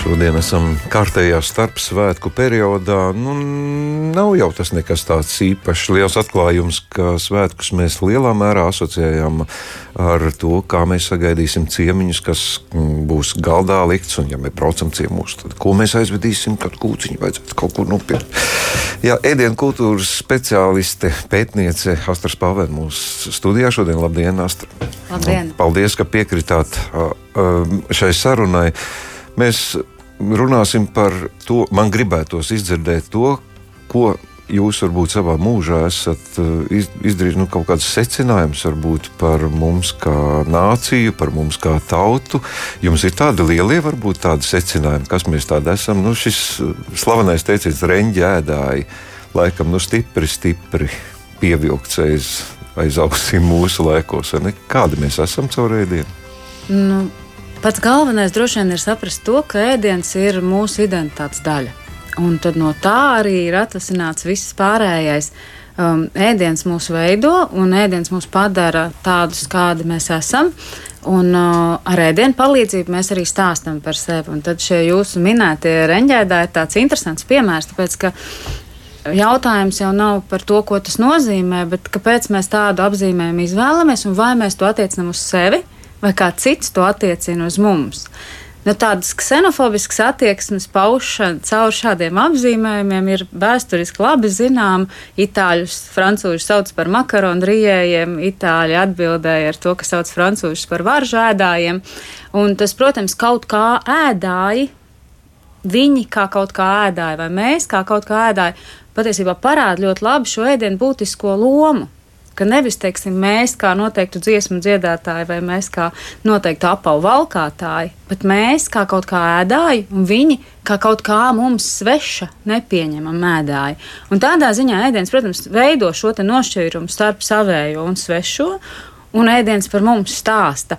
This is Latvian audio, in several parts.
Šodien esam kārtējā starpsvētku periodā. Nav jau tas nekas tāds īpašs liels atklājums, ka svētkus mēs lielā mērā asociējam ar to, kā mēs sagaidīsim ciemiņus, kas būs galdā likts. Un, ja mēs braucam ciemos, tad ko mēs aizvedīsim, kad kūciņu vajadzētu kaut kur nopirkt. Jā, ēdienu kultūras speciāliste, pētniece Astra Spāvēna mūsu studijā šodien. Labdien, Astra! Labdien! Paldies, ka piekritāt šai sarunai. Mēs runāsim par to, man gribētos izdzirdēt to, ko jūs varbūt savā mūžā esat izdarījuši, kaut kāds secinājums varbūt par mums kā nāciju, par mums kā tautu. Jums ir tādi lielie, varbūt tādi secinājumi, kas mēs tādi esam. Šis slavenais teiciens reņģi ēdāji, laikam stipri pievilkts aiz ausīm mūsu laikos. Kādi mēs esam caur ēdienu? Pats galvenais droši vien ir saprast to, ka ēdiens ir mūsu identitātes daļa. Un tad no tā arī ir atvasināts viss pārējais. Ēdiens mūs veido un ēdiens mūs padara tādus, kādi mēs esam. Un ar ēdienu palīdzību mēs arī stāstam par sevi. Un tad šie jūsu minētie reņģēdāji ir tāds interesants piemērs, tāpēc ka jautājums jau nav par to, ko tas nozīmē, bet kāpēc mēs tādu apzīmējumu izvēlamies un vai mēs to attiecinām uz sevi, vai kā cits to attiecina uz mums. Tādas ksenofobiskas attieksmes paušana caur šādiem apzīmējumiem ir vēsturiski labi zinām. Itāļus francūži sauc par makaronu rijējiem, itāļi atbildēja ar to, ka sauc francūžus par varžu ēdājiem. Un tas, protams, kaut kā ēdāji, viņi kā kaut kā ēdāji, vai mēs kā kaut kā ēdāji, patiesībā parāda ļoti labi šo ēdienu būtisko lomu. Ka nevis, teiksim, mēs kā noteiktu dziesmu dziedātāji vai mēs kā noteiktu apavu valkātāji, bet mēs kā kaut kā ēdāji un viņi kā kaut kā mums sveša nepieņemam ēdāji. Un tādā ziņā ēdiens, protams, veido šo te nošķīrumu starp savējo un svešo, un ēdiens par mums stāsta.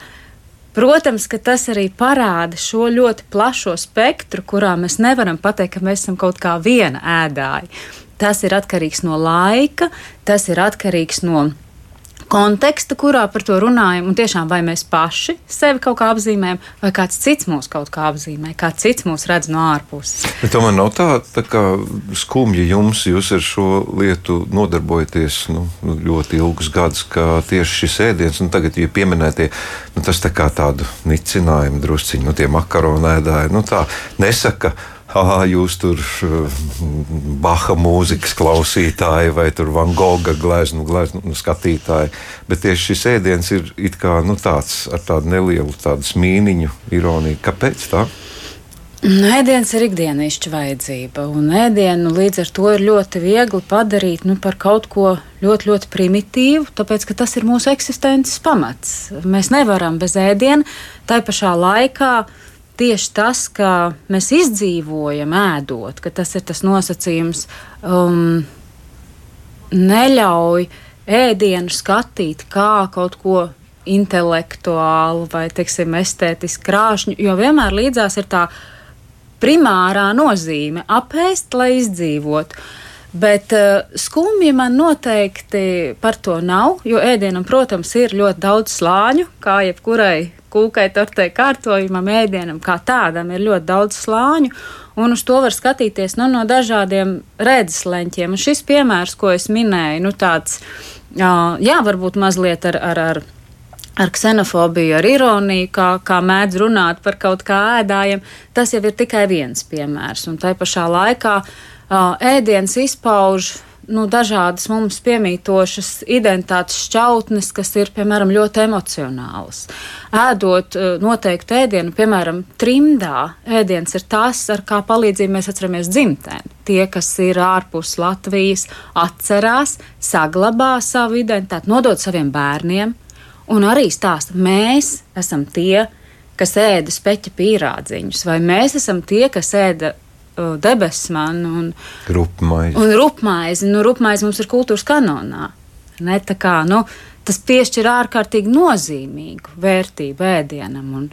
Protams, ka tas arī parāda šo ļoti plašo spektru, kurā mēs nevaram pateikt, ka mēs esam kaut kā viena ēdāji. Tas ir atkarīgs no laika, tas ir atkarīgs no konteksta, kurā par to runājam, un tiešām vai mēs paši sevi kaut kā apzīmējam, vai kāds cits mūs kaut kā apzīmē, kāds cits mūs redz no ārpuses. Bet tomēr nav tā kā skumji jūs ar šo lietu nodarbojaties ļoti ilgus gadus, ka tieši šis ēdiens, un tagad, ja pieminētie, tas tā kā tādu nicinājumu drusciņu, tie makaronu ēdāji, tā nesaka, jūs tur Baha mūzikas klausītāji vai tur Van Gogha gleznu skatītāji, bet tieši šis ēdiens ir it kā tāds ar tādu nelielu tādu smīniņu, ironiju. Kāpēc tā? Ēdiens ir ikdienišķa vajadzība, un ēdienu līdz ar to ir ļoti viegli padarīt par kaut ko ļoti, ļoti primitīvu, tāpēc, ka tas ir mūsu eksistences pamats. Mēs nevaram bez ēdiena, tai pašā laikā tieši tas, ka mēs izdzīvojam ēdot, ka tas ir tas nosacījums, neļauj ēdienu skatīt kā kaut ko intelektuālu vai, teiksim, estētiski krāšņu, jo vienmēr līdzās ir tā primārā nozīme apēst, lai izdzīvotu. Bet skumji man noteikti par to nav, jo ēdienam, protams, ir ļoti daudz slāņu, kā jebkurai kūkai, tortei, kārtojumam, ēdienam kā tādam ir ļoti daudz slāņu, un uz to var skatīties no dažādiem redzesleņķiem. Un šis piemērs, ko es minēju, tāds, varbūt mazliet ar ksenofobiju, ar ironiju, kā mēdz runāt par kaut kā ēdājiem, tas jau ir tikai viens piemērs. Un tai pašā laikā ēdiens izpauž dažādas mums piemītošas identitātes šķautnes, kas ir, piemēram, ļoti emocionālas. Ēdot noteiktu ēdienu, piemēram, trimdā, ēdiens ir tas, ar kā palīdzību mēs atceramies dzimteni. Tie, kas ir ārpus Latvijas, atcerās, saglabā savu identitāti, nodod saviem bērniem un arī stāsta, mēs esam tie, kas ēda speķa pīrādziņus, vai mēs esam tie, kas ēda debesmanu un rupmaizi. Rupmaizi mums ir kultūras kanonā. Tas piešķir ārkārtīgi nozīmīgu vērtību ēdienam, un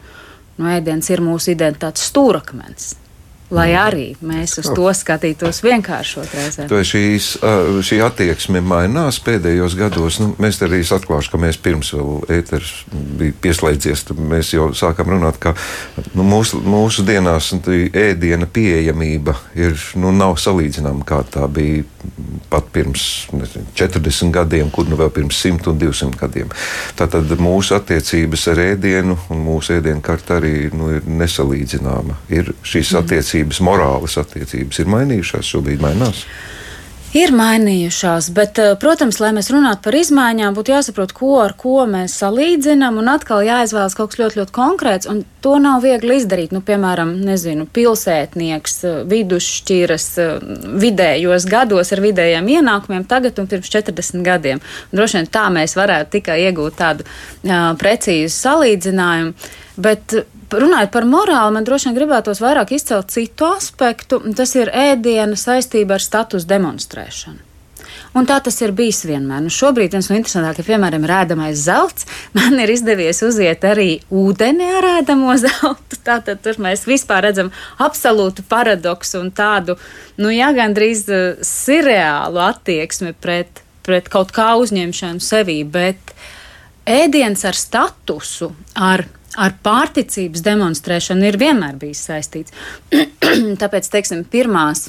ēdiens ir mūsu identitātes stūrakmens. lai arī mēs uz to skatītos vienkāršot reizē. Šī attieksme mainās pēdējos gados. Mēs arī atklāšu, ka mēs pirms vēl ēters bija pieslēdzies, tad mēs jau sākam runāt, ka mūsu dienās ēdiena pieejamība nav salīdzināma, kā tā bija pat pirms 40 gadiem, kur vēl pirms 100 un 200 gadiem. Tātad mūsu attiecības ar ēdienu un mūsu ēdienu karta arī ir nesalīdzināma. Ir šīs attiecības, morālas attiecības ir mainījušās, šobrīd mainās? Ir mainījušās, bet, protams, lai mēs runātu par izmaiņām, būtu jāsaprot, ko ar ko mēs salīdzinām, un atkal jāizvēlas kaut kas ļoti, ļoti konkrēts, un to nav viegli izdarīt. Piemēram, pilsētnieks, vidusšķiras vidējos gados ar vidējiem ienākumiem tagad un pirms 40 gadiem. Un droši vien tā mēs varētu tikai iegūt tādu precīzu salīdzinājumu, bet runājot par morāli, man droši vien gribētos vairāk izcelt citu aspektu, tas ir ēdiena saistība ar status demonstrēšanu. Un tā tas ir bijis vienmēr. Šobrīd viens no interesantākajiem piemēriem ir ēdamais zelts. Man ir izdevies uziet arī ūdeni ar ēdamo zeltu. Tātad tur mēs vispār redzam absolūtu paradoksu un tādu, gandrīz sirreālu attieksmi pret kaut kā uzņemšanu sevī, bet ēdiens ar statusu, ar pārticības demonstrēšanu ir vienmēr bijis saistīts. Tāpēc, pirmās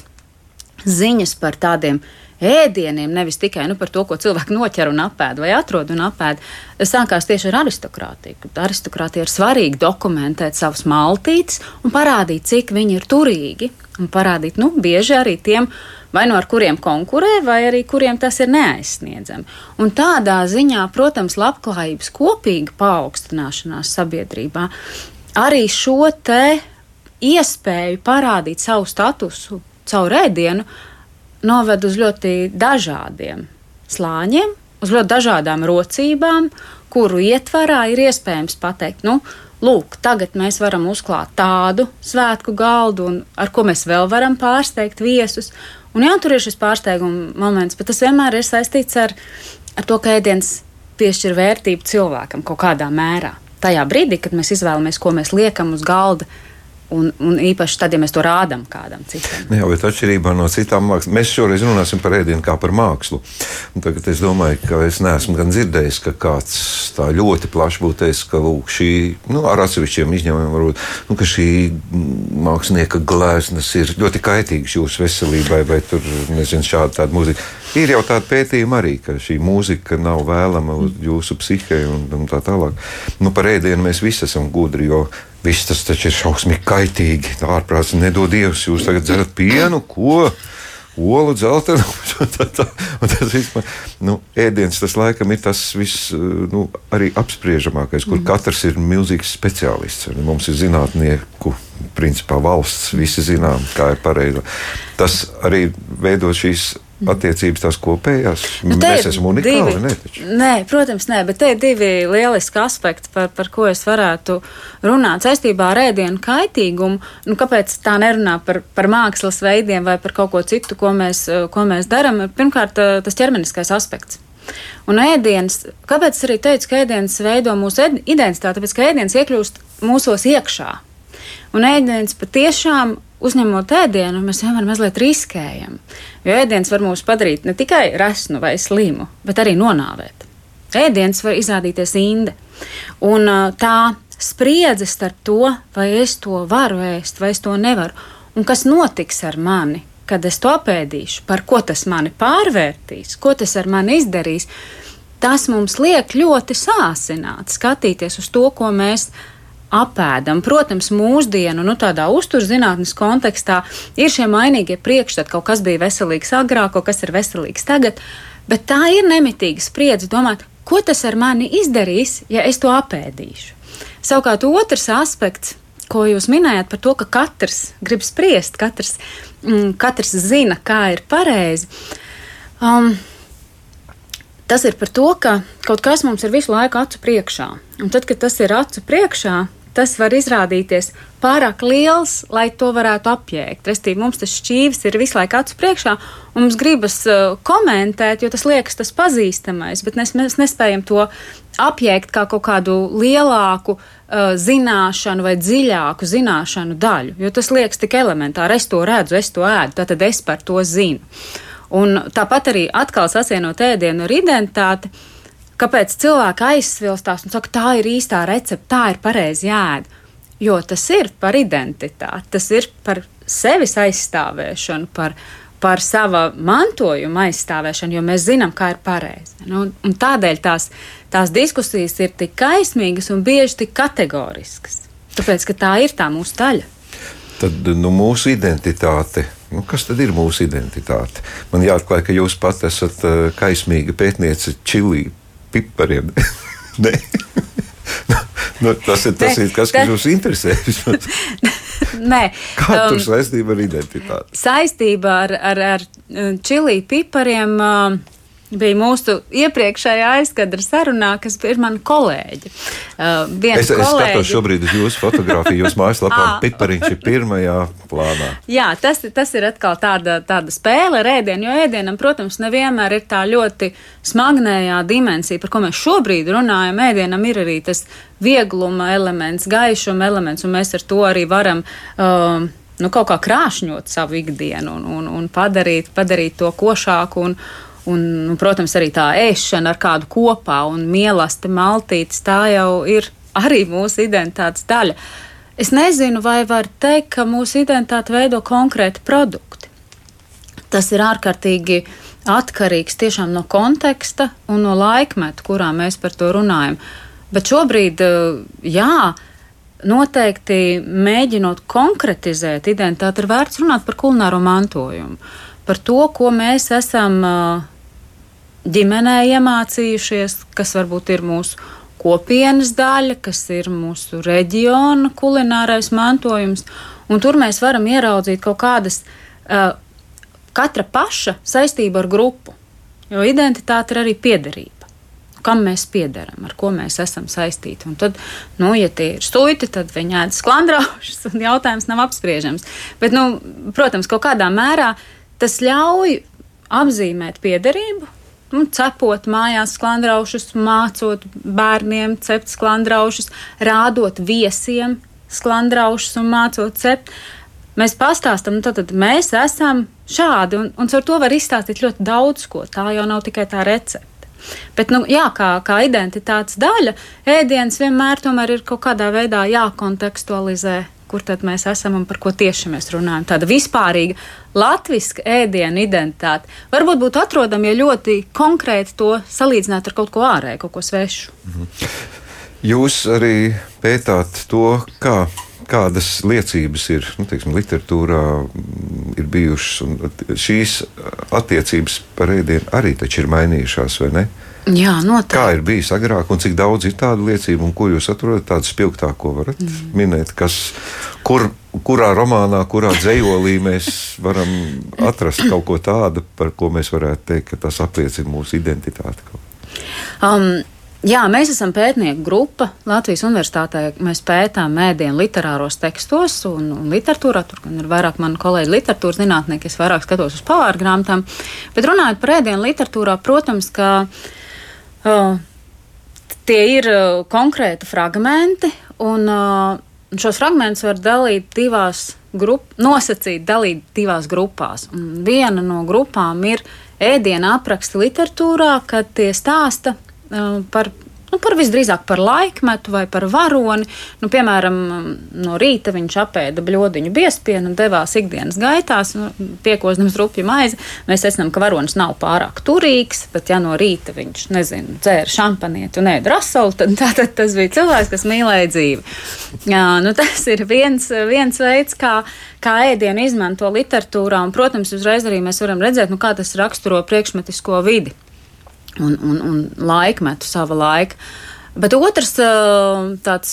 ziņas par tādiem ēdieniem, nevis tikai par to, ko cilvēki noķer un apēd vai atrod un apēd, sākās tieši ar aristokrātiju. Aristokrātija ir svarīgi dokumentēt savus maltītes un parādīt, cik viņi ir turīgi. Un parādīt, bieži arī tiem, vai ar kuriem konkurē, vai arī kuriem tas ir neaizsniedzami. Un tādā ziņā, protams, labklājības kopīga paaugstināšanās sabiedrībā arī šo te iespēju parādīt savu statusu caur ēdienu noved uz ļoti dažādiem slāņiem, uz ļoti dažādām rocībām, kuru ietvarā ir iespējams pateikt, lūk, tagad mēs varam uzklāt tādu svētku galdu, un ar ko mēs vēl varam pārsteigt viesus. Un tur ir šis pārsteiguma moments, bet tas vienmēr ir saistīts ar to, ka ēdiens piešķir vērtību cilvēkam kaut kādā mērā. Tajā brīdī, kad mēs izvēlamies, ko mēs liekam uz galda, un īpaši tad, ja mēs to rādām kādam citam. Jā, bet atšķirībā no citām mākslām, mēs šoreiz runāsim par ēdienu kā par mākslu. Un tagad es domāju, ka es neesmu gan dzirdējis, ka kāds tā ļoti plaši būtu teicis, ka lūk, šī, ar atsevišķiem izņēmumiem varbūt, ka šī mākslinieka gleznas ir ļoti kaitīgas jūsu veselībai, vai tur, šāda tāda mūzika. Ir jau tāda pētījuma arī, ka šī mūzika nav vēlama uz jūsu psihei un tā tālāk. Par ēdienu mēs visi esam gudri, jo viss tas taču ir šausmīgi kaitīgi. Tā ārprāts nedod Dievs, jūs tagad dzerat pienu, ko? Olu, dzeltenu. Tas vispār, ēdiens tas laikam ir tas viss, arī apspriežamākais, kur katrs ir milzīgs speciālists. Mums ir zinātnieku, principā valsts, visi zinām, kā ir pareizi. Tas arī veido šīs attiecības tās kopējās. Mēs esam unikāli, ne? Taču. Nē, protams, nē, bet te ir divi lieliski aspekti, par ko es varētu runāt saistībā ar ēdienu kaitīgumu. Kāpēc tā nerunā par mākslas veidiem vai par kaut ko citu, ko mēs darām? Pirmkārt, tas ķermeniskais aspekts. Un ēdiens, kāpēc es arī teicu, ka ēdiens veido mūsu identitāti? Tāpēc, ka ēdiens iekļūst mūsos iekšā. Un ēdiens patiešām uzņemot ēdienu, mēs vienmēr mazliet riskējam. Jo ēdiens var mūs padarīt ne tikai resnu vai slimu, bet arī nonāvēt. Ēdiens var izrādīties inde. Un tā spriedze starp to, vai es to varu ēst, vai es to nevaru, un kas notiks ar mani, kad es to apēdīšu, par ko tas mani pārvērtīs, ko tas ar mani izdarīs, tas mums liek ļoti sāsināt, skatīties uz to, ko mēs apēdam. Protams, mūsdienu, tādā uzturzinātnes kontekstā ir šie mainīgie priekšstati, kaut kas bija veselīgs agrāk, kaut kas ir veselīgs tagad, bet tā ir nemitīga spriedze domāt, ko tas ar mani izdarīs, ja es to apēdīšu. Savukārt otrs aspekts, ko jūs minējāt par to, ka katrs grib spriest, katrs zina, kā ir pareizi. Tas ir par to, ka kaut kas mums ir visu laiku acu priekšā. Un tad, kad tas ir acu priekšā, tas var izrādīties pārāk liels, lai to varētu apjēgt. Restīvi, mums tas šķīvis ir visu laiku acu priekšā, un mums gribas komentēt, jo tas liekas tas pazīstamais, bet mēs nespējam to apjēgt kā kaut kādu lielāku zināšanu vai dziļāku zināšanu daļu, jo tas liekas tik elementāri. Es to redzu, es to ēdu, tātad es par to zinu. Un tāpat arī atkal sasienot ēdienu ar identitāti, kāpēc cilvēki aizsvilstās un saka, tā ir īstā recepte, tā ir pareizi jāēd. Jo tas ir par identitāti, tas ir par sevis aizstāvēšanu, par sava mantojuma aizstāvēšanu, jo mēs zinām, kā ir pareizi. Un tādēļ tās diskusijas ir tik kaismīgas un bieži tik kategoriskas. Tāpēc, ka tā ir tā mūsu daļa. Tad mūsu identitāte. Kas tad ir mūsu identitāte? Man jāatklāj, ka jūs pat esat kaismīga pētniece čili pipariem. Nē. Tas ir kas jūs interesē. Nē. Kā tur saistība ar identitāti? Saistība ar čili pipariem bija mūsu iepriekšējā aizkadra sarunā, kas ir mana kolēģe. Es skatos šobrīd uz jūsu fotografiju, jūsu mājaslapā pipariņš ir pirmajā plānā. Jā, tas ir atkal tāda spēle ar ēdienu, jo ēdienam, protams, nevienmēr ir tā ļoti smagnējā dimensija, par ko mēs šobrīd runājam. Ēdienam ir arī tas viegluma elements, gaišuma elements, un mēs ar to arī varam kaut kā krāšņot savu ikdienu un padarīt to košāku un, protams, arī tā ēšana ar kādu kopā un mielaste maltītes, tā jau ir arī mūsu identitātes daļa. Es nezinu, vai var teikt, ka mūsu identitāti veido konkrēti produkti. Tas ir ārkārtīgi atkarīgs tiešām no konteksta un no laikmeta, kurā mēs par to runājam. Bet šobrīd, jā, noteikti mēģinot konkretizēt identitāti, ir vērts runāt par kulināro mantojumu. Par to, ko mēs esam ģimenē iemācījušies, kas varbūt ir mūsu kopienas daļa, kas ir mūsu reģiona kulinārais mantojums, un tur mēs varam ieraudzīt kaut kādas katra paša saistība ar grupu, jo identitāte ir arī piederība. Kam mēs piederam, ar ko mēs esam saistīti. Un tad, ja tie ir suiti, tad viņi ēd sklandraušus, un jautājums nav apspriežams. Bet, protams, kaut kādā mērā tas ļauj apzīmēt piederību, cepot mājās sklandraušus, mācot bērniem cept sklandraušus, rādot viesiem sklandraušus un mācot cept. Mēs pastāstam, tad mēs esam šādi, un ar to var izstāstīt ļoti daudz ko. Tā jau nav tikai tā recepte. Bet, kā identitātes daļa, ēdiens vienmēr tomēr ir kaut kādā veidā jākontekstualizē, kur tad mēs esam un par ko tieši mēs runājam. Tāda vispārīga latviska ēdienu identitāte. Varbūt būtu atrodama, ja ļoti konkrēti to salīdzināt ar kaut ko ārēju, kaut ko svešu. Jūs arī pētāt to, kādas liecības ir, literatūrā ir bijušas, un šīs attiecības par ēdienu arī taču ir mainījušās, vai ne? Jā, noteikti. Kā ir bijis agrāk, un cik daudz ir tādu liecību, un ko jūs atrodat tādu spilgtāko varat minēt, kurā romānā, kurā dzejolī mēs varam atrast kaut ko tādu, par ko mēs varētu teikt, ka tas apliecina mūsu identitāti? Jā, mēs esam pētnieku grupa Latvijas Universitātē. Mēs pētām ēdienu literāros tekstos un literatūrā. Tur gan ir vairāk mani kolēģi literatūras zinātnieki, es vairāk skatos uz pavāru grāmatām. Bet runājot par ēdienu literatūrā, protams, ka tie ir konkrēti fragmenti, un šos fragmentus var nosacīt dalīt divās grupās. Un viena no grupām ir ēdiena apraksti literatūrā, kad tie stāsta par visdrīzāk par laikmetu vai par varoni. Piemēram, no rīta viņš apēda bļodiņu biezpienu un devās ikdienas gaitās, piekozdams rupju maizi. Mēs secinām, ka varonis nav pārāk turīgs, bet ja no rīta viņš, dzēra šampanieti un ēda rasolu, tad tas bija cilvēks, kas mīlēja dzīvi. Jā, tas ir viens veids, kā ēdienu izmanto literatūrā, un, protams, uzreiz arī mēs varam redzēt, kā tas raksturo priekšmetisko vidi. Un laikmetu, sava laika. Bet otrs tāds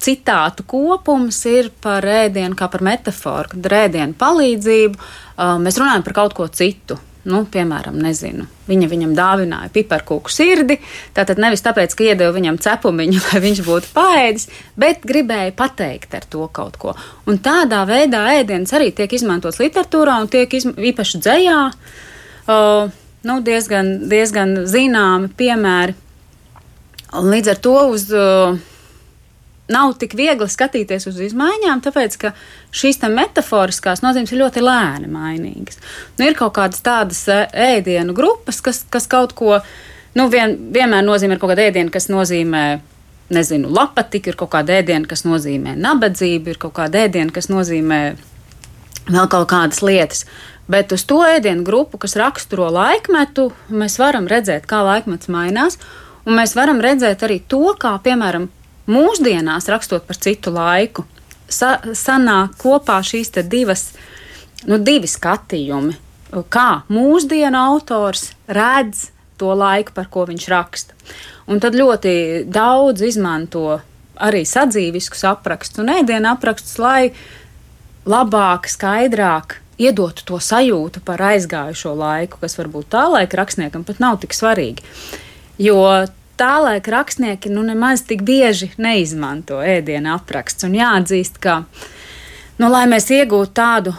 citātu kopums ir par ēdienu kā par metaforu, kad ar ēdienu palīdzību mēs runājam par kaut ko citu. piemēram, nezinu, viņam dāvināja piparkūku sirdi, tātad nevis tāpēc, ka iedeva viņam cepumiņu, lai viņš būtu paēdis, bet gribēja pateikt ar to kaut ko. Un tādā veidā ēdiens arī tiek izmantots literatūrā un tiek īpaši dzejā, diezgan zināmi piemēri. Un līdz ar to nav tik viegli skatīties uz izmaiņām, tāpēc, ka šīs metaforiskās nozīmes ir ļoti lēni mainīgas. Ir kaut kādas tādas ēdienu grupas, kas kaut ko, vienmēr nozīmē kaut kāda ēdiena, kas nozīmē, lapatiku, ir kaut kāda ēdiena, kas nozīmē nabadzību, ir kaut kāda ēdiena, kas nozīmē vēl kaut kādas lietas. Bet uz to ēdienu grupu, kas raksturo laikmetu, mēs varam redzēt, kā laikmets mainās, un mēs varam redzēt arī to, kā, piemēram, mūsdienās, rakstot par citu laiku, sanāk kopā šīs divi skatījumi, kā mūsdienu autors redz to laiku, par ko viņš raksta. Un tad ļoti daudz izmanto arī sadzīviskus aprakstus un ēdienu aprakstus, lai labāk, skaidrāk iedotu to sajūtu par aizgājušo laiku, kas varbūt tā laika rakstniekam pat nav tik svarīgi. Jo tā laika rakstnieki nemaz tik bieži neizmanto ēdienu apraksts. Un jāatzīst, ka, lai mēs iegūtu tādu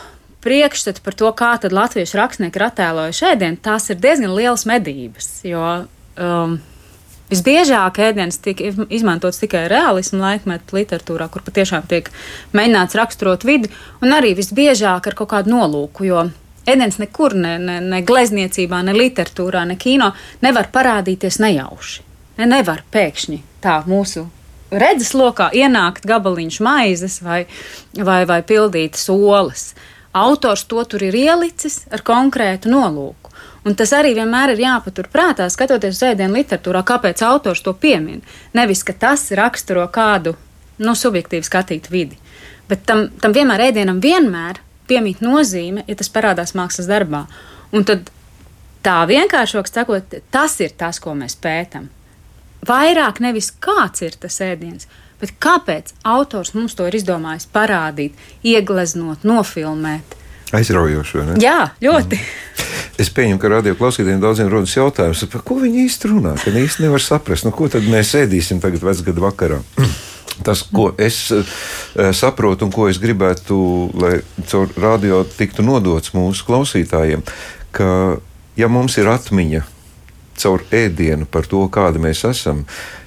priekšstatu par to, kā tad latviešu rakstnieki ir attēlojuši ēdienu, tās ir diezgan lielas medības, jo visbiežāk ēdienas tiek izmantots tikai realismu laikmetu literatūrā, kur patiešām tiek mēģināts raksturot vidi, un arī visbiežāk ar kaut kādu nolūku, jo ēdiens nekur, ne glezniecībā, ne literatūrā, ne kino nevar parādīties nejauši. Nevar pēkšņi tā mūsu redzeslokā ienākt gabaliņš maizes vai pildītas olas. Autors to tur ir ielicis ar konkrētu nolūku. Un tas arī vienmēr ir jāpatur prātā, skatoties uz ēdienu literatūrā, kāpēc autors to piemin. Nevis, ka tas raksturo kādu subjektīvi skatītu vidi. Bet tam ēdienam vienmēr piemīt nozīme, ja tas parādās mākslas darbā. Un tad tā vienkāršāk sakot, tas ir tas, ko mēs pētam. Vairāk nevis kāds ir tas ēdiens, bet kāpēc autors mums to ir izdomājis parādīt, iegleznot, nofilmēt. Aizraujoši, vai ne? Jā, ļoti. Es pieņemu, ka radio klausītājiem daudziem rodas jautājums, par ko viņi īsti runā, ka īsti nevar saprast, ko tad mēs ēdīsim tagad vecgada vakarā. Tas, ko es saprotu un ko es gribētu, lai caur radio tiktu nodots mūsu klausītājiem, ka ja mums ir atmiņa caur ēdienu par to, kādi mēs esam,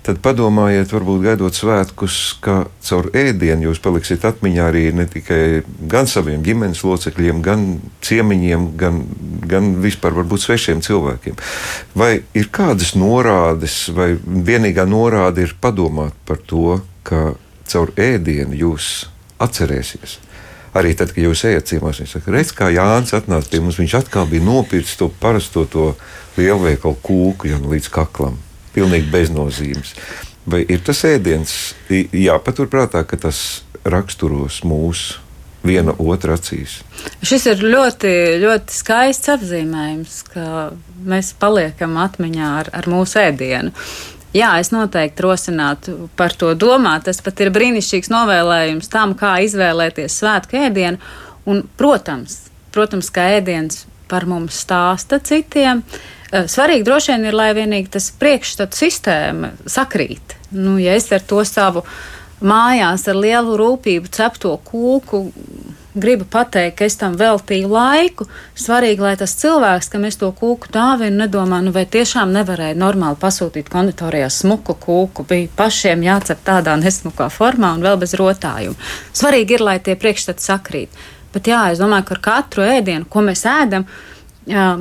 tad padomājiet, varbūt gaidot svētkus, ka caur ēdienu jūs paliksiet atmiņā arī ne tikai gan saviem ģimenes locekļiem, gan ciemiņiem, gan vispār varbūt svešiem cilvēkiem. Vai ir kādas norādes, vai vienīgā norāde ir padomāt par to, ka caur ēdienu jūs atcerēsies? Arī tad, kad jūs ejat ciemos, viņš saka, redz, kā Jānis atnāca pie mums, viņš atkal bija nopircis to parasto to lielveikalu kūku līdz kaklam. Pilnīgi beznozīmes. Vai ir tas ēdiens, jāpaturprātā, ka tas raksturos mūsu viena otra acīs? Šis ir ļoti, ļoti skaists apzīmējums, ka mēs paliekam atmiņā ar mūsu ēdienu. Jā, es noteikti rosinātu par to domāt. Tas pat ir brīnišķīgs novēlējums tam, kā izvēlēties svētku ēdienu. Un, protams, ka ēdiens par mums stāsta citiem. Svarīgi droši vien ir, lai vienīgi tas priekšstatu sistēma sakrīt. Ja es ar to savu mājās ar lielu rūpību cepto kūku gribu pateikt, ka es tam veltīju laiku, svarīgi, lai tas cilvēks, kam es to kūku dāvinu, nedomā, vai tiešām nevarēja normāli pasūtīt konditorijā smuku kūku, bija pašiem jācep tādā nesmukā formā un vēl bez rotājuma. Svarīgi ir, lai tie priekšstati sakrīt. Bet jā, es domāju, ka ar katru ēdienu, ko mēs ēdam,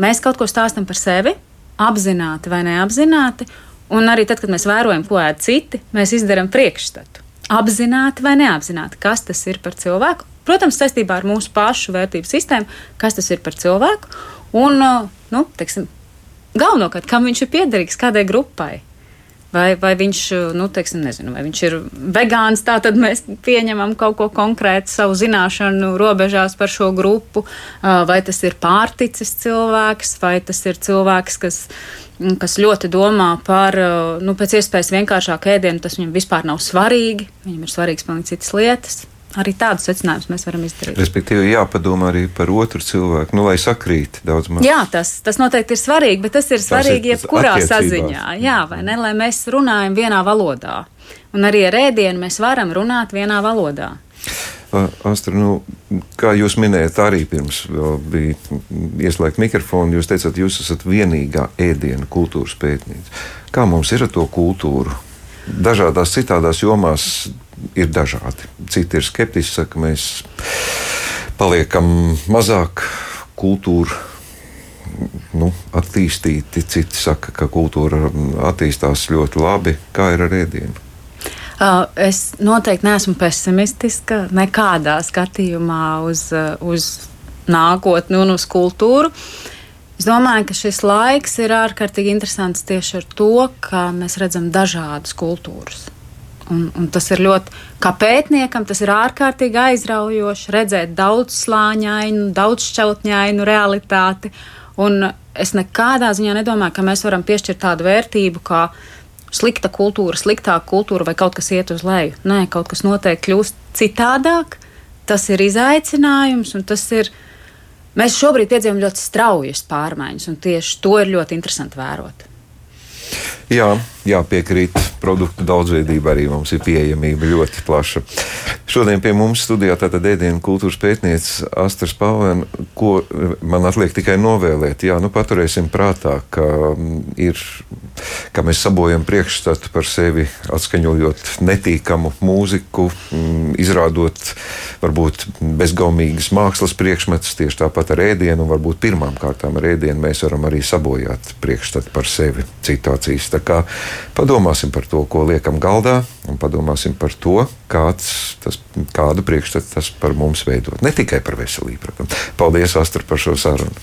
mēs kaut ko stāstam par sevi, apzināti vai neapzināti, un arī tad, kad mēs vērojam, ko ēd citi, mēs izdaram priekšstatu. Apzināti vai neapzināti, kas tas ir par cilvēku. Protams, saistībā ar mūsu pašu vērtību sistēmu, kas tas ir par cilvēku un, galvenokārt, kam viņš ir piederīgs, kādai grupai. Vai viņš, nezinu, vai viņš ir vegāns, tā tad mēs pieņemam kaut ko konkrētu savu zināšanu robežās par šo grupu, vai tas ir pārticis cilvēks, vai tas ir cilvēks, kas ļoti domā par, pēc iespējas vienkāršāku ēdienu, tas viņam vispār nav svarīgi, viņam ir svarīgs pilnīgi citas lietas. arī tādus secinājumus mēs varam izdarīt. Respektīvi, jāpadomā arī par otru cilvēku, lai sakrīt daudz maz. Jā, tas noteikti ir svarīgi, bet tas ir svarīgi jebkurā saziņā. Jā, vai ne, lai mēs runājam vienā valodā. Un arī ar ēdienu mēs varam runāt vienā valodā. Astra, kā jūs minējat, arī pirms bija ieslēgt mikrofonu, jūs teicāt, jūs esat vienīgā ēdienu kultūras pētniece. Kā mums ir ar to kultūru? Dažādās citādās jomās ir dažādi. Citi ir skeptiski, saka, mēs paliekam mazāk kultūru attīstīti. Citi saka, ka kultūra attīstās ļoti labi. Kā ir ar ēdienu? Es noteikti neesmu pesimistiska nekādā skatījumā uz nākotni un uz kultūru. Es domāju, ka šis laiks ir ārkārtīgi interesants tieši ar to, ka mēs redzam dažādas kultūras. Un tas ir ļoti, kā pētniekam, tas ir ārkārtīgi aizraujoši redzēt daudzslāņainu, daudzšķautņainu realitāti. Un es nekādā ziņā nedomāju, ka mēs varam piešķirt tādu vērtību, kā slikta kultūra, sliktāka kultūra vai kaut kas iet uz leju. Nē, kaut kas noteikti kļūst citādāk. Tas ir izaicinājums, un tas ir. Mēs šobrīd piedzīvojam ļoti straujas pārmaiņas, un tieši to ir ļoti interesanti vērot. Jā, piekrīt. Produktu daudzveidība arī mums ir pieejamība ļoti plaša. Šodien pie mums studijā tātad ēdienu kultūras pētniece Astra Spalvena, ko man atliek tikai novēlēt. Paturēsim prātā, ka mēs sabojam priekšstatu par sevi, atskaņojot netīkamu mūziku, izrādot varbūt bezgaumīgas mākslas priekšmetus, tieši tāpat ar ēdienu, un varbūt pirmām kārtām ar ēdienu mēs varam arī sabojāt priekšstatu par sevi citu acīs. Tā kā padomāsim par to, ko liekam galdā, un padomāsim par to, kādu priekšstatu tas par mums veidot. Ne tikai par veselību, protams. Paldies, Astra, par šo sarunu.